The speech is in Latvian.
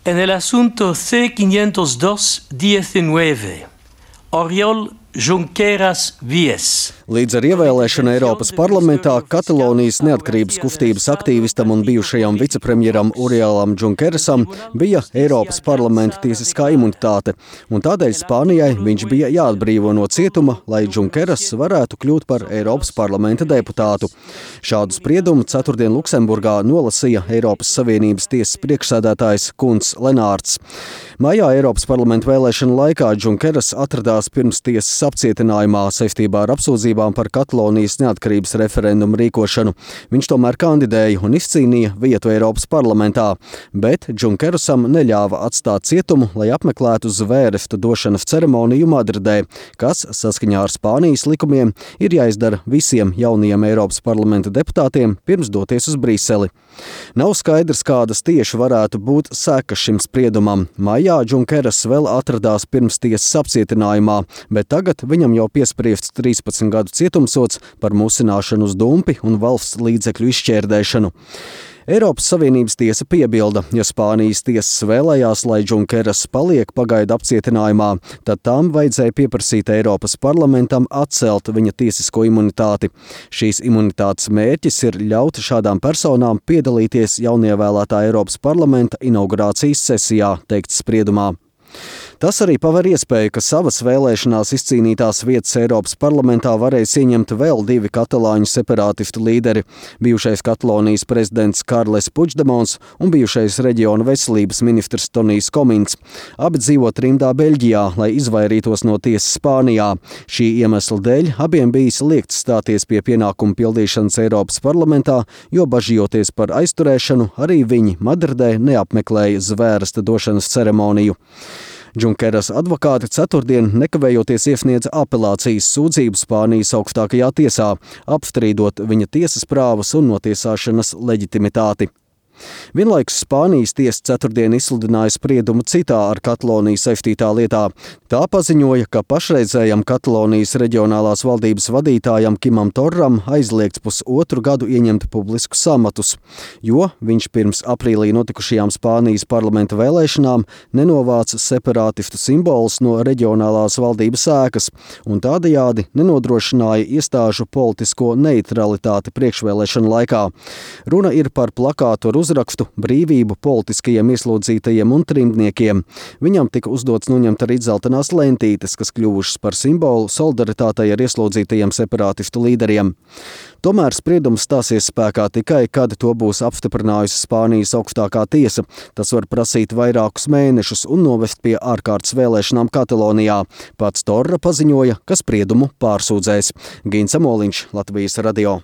En el asunto C-502-19, Oriol Junqueras Vies. Līdz ar ievēlēšanu Eiropas parlamentā Katalonijas neatkarības kustības aktīvistam un bijušajam vicepremjeram Oriolam Junquerasam bija Eiropas parlamenta tiesiskā imunitāte, un tādēļ Spānijai viņš bija jāatbrīvo no cietuma, lai Junqueras varētu kļūt par Eiropas parlamenta deputātu. Šādu spriedumu ceturtdien Luksemburgā nolasīja Eiropas Savienības tiesas priekšsēdētājs Kunts Lenārds. Maijā Eiropas parlamenta vēlēšanu laikā Junqueras atradās pirms tiesas apcietinājumā saistībā ar apsūdzībām par Katalonijas neatkarības referendumu rīkošanu. Viņš tomēr kandidēja un izcīnīja vietu Eiropas parlamentā, bet Junquerasam neļāva atstāt cietumu, lai apmeklētu zvērestu došanas ceremoniju Madridē, kas, saskaņā ar Spānijas likumiem, ir jāizdara visiem jaunajiem Eiropas parlamenta deputātiem pirms doties uz Briseli. Nav skaidrs, kādas tieši varētu būt sekas šim spriedumam. Maijā Junqueras vēl atradās pirms tiesas apcietinājumā, bet tagad viņam jau piespriests 13 gadu cietumsods par musināšanu uz dumpi un valsts līdzekļu izšķērdēšanu. Eiropas Savienības tiesa piebilda, ja Spānijas tiesas vēlējās, lai Junqueras paliek pagaidu apcietinājumā, tad tām vajadzēja pieprasīt Eiropas parlamentam atcelt viņa tiesisko imunitāti. Šīs imunitātes mērķis ir ļaut šādām personām piedalīties jaunievēlētā Eiropas parlamenta inaugurācijas sesijā, teikts spriedumā. Tas arī paver iespēju, ka savas vēlēšanās izcīnītās vietas Eiropas parlamentā varēs ieņemt vēl divi katalāņu separātistu līderi – bijušais Katalonijas prezidents Karles Puigdemons un bijušais reģiona veselības ministrs Tonijs Komins. Abi dzīvo trimdā Beļģijā, lai izvairītos no tiesas Spānijā. Šī iemesla dēļ abiem bijis liegts stāties pie pienākumu pildīšanas Eiropas parlamentā, jo bažījoties par aizturēšanu, arī viņi Madridē neapmeklēja zvērsta došanas ceremoniju. Junqueras advokāti ceturtdien nekavējoties iesniedza apelācijas sūdzību Spānijas augstākajā tiesā, apstrīdot viņa tiesas prāvas un notiesāšanas leģitimitāti. Vienlaikus Spānijas tiesa ceturtdien izsludināja spriedumu citā ar Kataloniju saistītā lietā. Tā paziņoja, ka pašreizējam Katalonijas reģionālās valdības vadītājam Kimam Torram aizliegts pusotru gadu ieņemt publiskus amatus, jo viņš pirms aprīlī notikušajām Spānijas parlamenta vēlēšanām nenovāca separātistu simbolus no reģionālās valdības ēkas un tādējādi nenodrošināja iestāžu politisko neutralitāti priekšvēlēšanu laikā. Runa ir par plakātu ar uzrakstu brīvību politiskajiem ieslodzītajiem un trimdniekiem. Viņam tika uzdots noņemt arī dzeltenās lentītes, kas kļuvušas par simbolu solidaritātei ar ieslodzītajiem separātistu līderiem. Tomēr spriedums stāsies spēkā tikai, kad to būs apstiprinājusi Spānijas augstākā tiesa. Tas var prasīt vairākus mēnešus un novest pie ārkārtas vēlēšanām Katalonijā. Pats Torra paziņoja, ka spriedumu pārsūdzēs. Gins Amoliņš, Latvijas radio.